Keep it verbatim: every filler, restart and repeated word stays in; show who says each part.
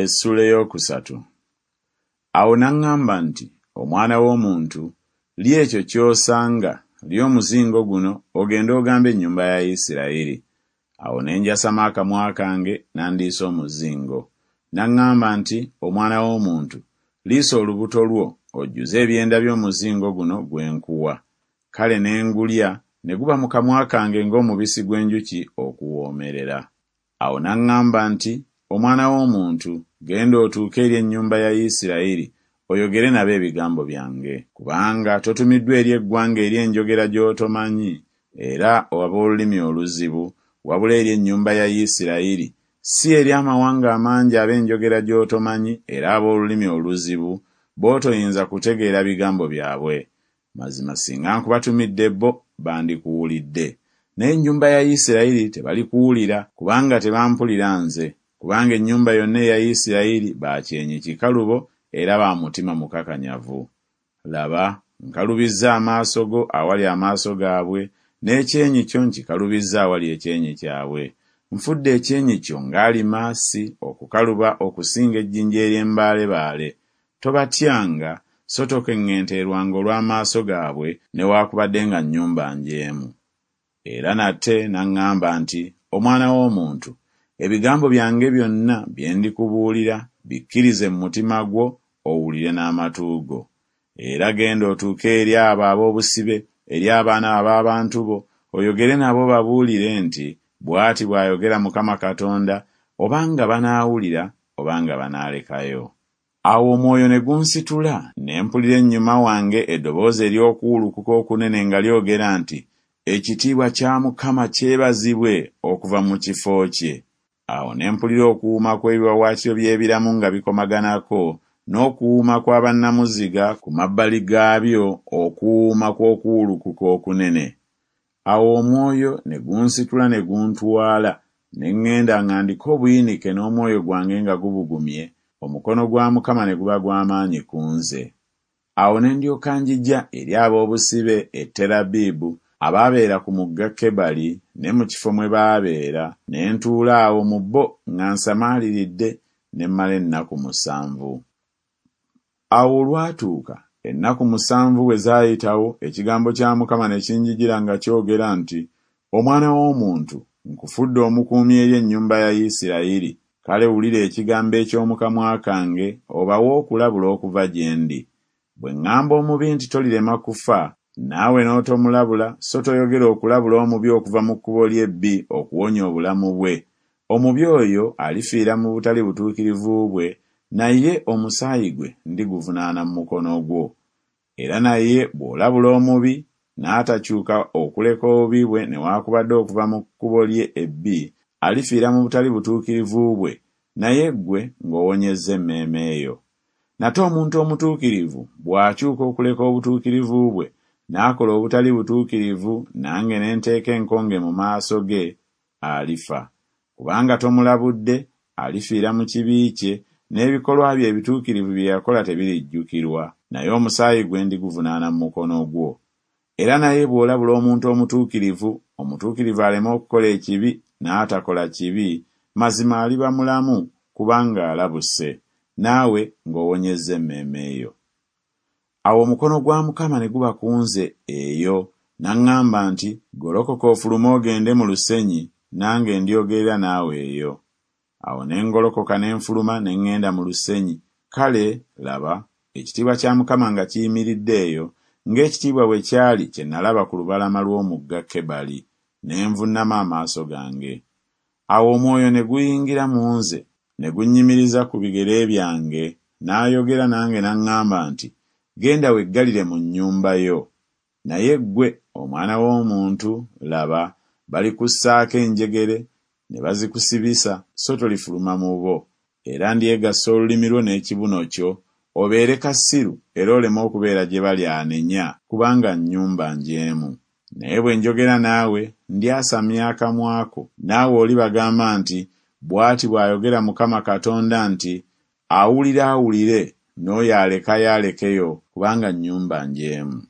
Speaker 1: Essuula ey'okusatu. Awo n'aŋŋamba nti, Omwana w'omuntu, lya ekyo ky'osanga, lya omuzingo guno, ogende ogambe ennyumba ya Isirayiri. Awo ne njasama akamwa kange, n'andiisa omuzingo. N'aŋŋamba nti, Omwana w'omuntu, liisa olubuto lwo, ojjuze ebyenda byo omuzingo guno gwe nkuwa. Kale ne ngulya, ne guba mu kamwa kange ng'omubisi gw'enjuki okuwoomerera. Awo n'aŋŋamba nti, Omwana w'omuntu, genda otuuke eri ennyumba ya Isirayiri, oyogere nabo ebigambo byange. Kubanga totumiddwa eri eggwanga ery'enjogera gy'otomanyi, era ab'olulimi oluzibu, wabula eri ennyumba ya Isirayiri, si eri amawanga amangi ab'enjogera gy'otomanyi era ab'olulimi oluzibu, b'otoyinza kutegeera bigambo byabwe. Mazima singa nkubatumidde bo, bandikuwulidde. Naye ennyumba ya Isirayiri tebalikuwulira, kubanga tebampulira nze, kubanga ennyumba yonna eya Isirayiri ba kyenyi kikalubo era ba mutima mukakanyavu. Laba, nkalubizza amaaso go awali amaaso gaabwe, n'ekyenyi kyo nkikalubizza awali ekyenyi kyabwe. Nfudde ekyenyi kyo ng'alimaasi okukaluba okusinga ejjinja ery'embaalebaale. Tobatyanga, so tokeŋŋenterwanga olw'amaaso gaabwe, newaakubadde nga nnyumba njeemu. Era nate n'aŋŋamba nti, Omwana w'omuntu, ebigambo byange byonna bye ndikubuulira bikkirize mu mutima gwo, owulire n'amatu go. Era genda otuuke eri abo ab'obusibe, eri abaana ab'abantu bo, oyogere nabo babuulire nti, Bw'ati bw'ayogera Mukama Katonda, obanga banaawulira, obanga banaalekayo. Awo omwoyo ne gunsitula, ne mpulira ennyuma wange eddoboozi ery'okuwulukuka okunene nga lyogera nti, Ekitiibwa kya Mukama kyebazibwe okuva mu kifo kye. Awo ne mpulira okuwuuma kw'ebiwaawaatiro by'ebiramu nga bikomaganako, n'okuwuuma kwa bannamuziga ku mabbali gaabyo, okuwuuma kw'okuwulukuka okunene. Awo omwoyo ne gunsitula ne guntwala, ne ŋŋenda nga ndiko obuyinike n'omwoyo gwange nga gubugumye, omukono gwa Mukama ne guba gwa maanyi ku nze. Awo ne ndyoka njija eri ab'obusibe e Terabibu, abaabeera ku mugga Kebali ne mu kifo mwe baabeera, ne ntuula awo mu bo nga nsamaaliridde, ne mmala ennaku musanvu. Awo olwatuuka, ennaku musanvu bwe zaayitawo, ekigambo kya Mukama ne kinjijira nga kyogera nti, Omwana w'omuntu, nkufudde omukuumi eri ennyumba ya Isirayiri, kale wulira ekigambo eky'omu kamwa kange, obawe okulabula okuva gye ndi. Bwe ŋŋamba omubi nti tolirema kufa, naawe n'otomulabula, so toyogera okulabula omubi okuva mu kkubo lye ebbi okuwonya obulamu bwe, omubi oyo alifiira mu butali butuukirivu bwe, naye omusaayi gwe ndiguvunaana mu mukono gwo. Era naye bw'olabula omubi, n'atakyuka okuleka obubi bwe newaakubadde okuva mu kkubo lye ebbi, alifiira mu butali butuukirivu bwe, naye ggwe ng'owonyezza emmeeme yo. Nate omuntu omutuukirivu bw'akyuka okuleka obutuukirivu bwe, n'akola obutali butuukirivu, nange ne nteeka enkonge mu maaso ge, alifa. Kubanga tomulabudde, alifiira mu kibi kye, n'ebikolwa bye ebituukirivu bye yakola tebirijjukirwa, naye omusaayi gwe ndiguvunaana mu mukono gwo. Era naye bw'olabula omuntu omutuukirivu, omutuukirivu aleme okukola ekibi, n'atakola kibi, mazima aliba mulamu, kubanga alabuse, naawe ng'owonyezza emmeeme yo. Awo omukono gwa Mukama ne guba ku nze eyo, n'aŋŋamba nti, Golokoka ofulume ogende mu lusenyi, nange ndyogerera naawe eyo. Awo ne ngolokoka ne nfuluma ne ŋŋenda mu lusenyi, kale, laba, ekitiibwa kya Mukama nga kiyimiridde eyo, ng'ekitiibwa bwe kyali kye nalaba ku lubalama lw'omugga Kebali, ne nvunnama amaaso gange. Awo omwoyo ne guyingira mu nze, ne gunnyimiriza ku bigere byange, n'ayogera nange n'aŋŋamba nti, Genda weggalire mu nnyumba yo. Naye ggwe, omwana w'omuntu, laba, balikussaako enjegere ne bazikusibisa, so tolifuluma mu bo. Era ndyegassa olulimi lwo n'ekibuno kyo, obeere kasiru era oleme okubeera gye bali anenya, kubanga nnyumba njeemu. Naye bwe njogera naawe, ndyasamya akamwa ko, naawe olibagamba nti, Bw'ati bw'ayogera Mukama Katonda nti, Awulira awulire, n'oyo alekayo alekeyo, kubanga nnyumba njeemu.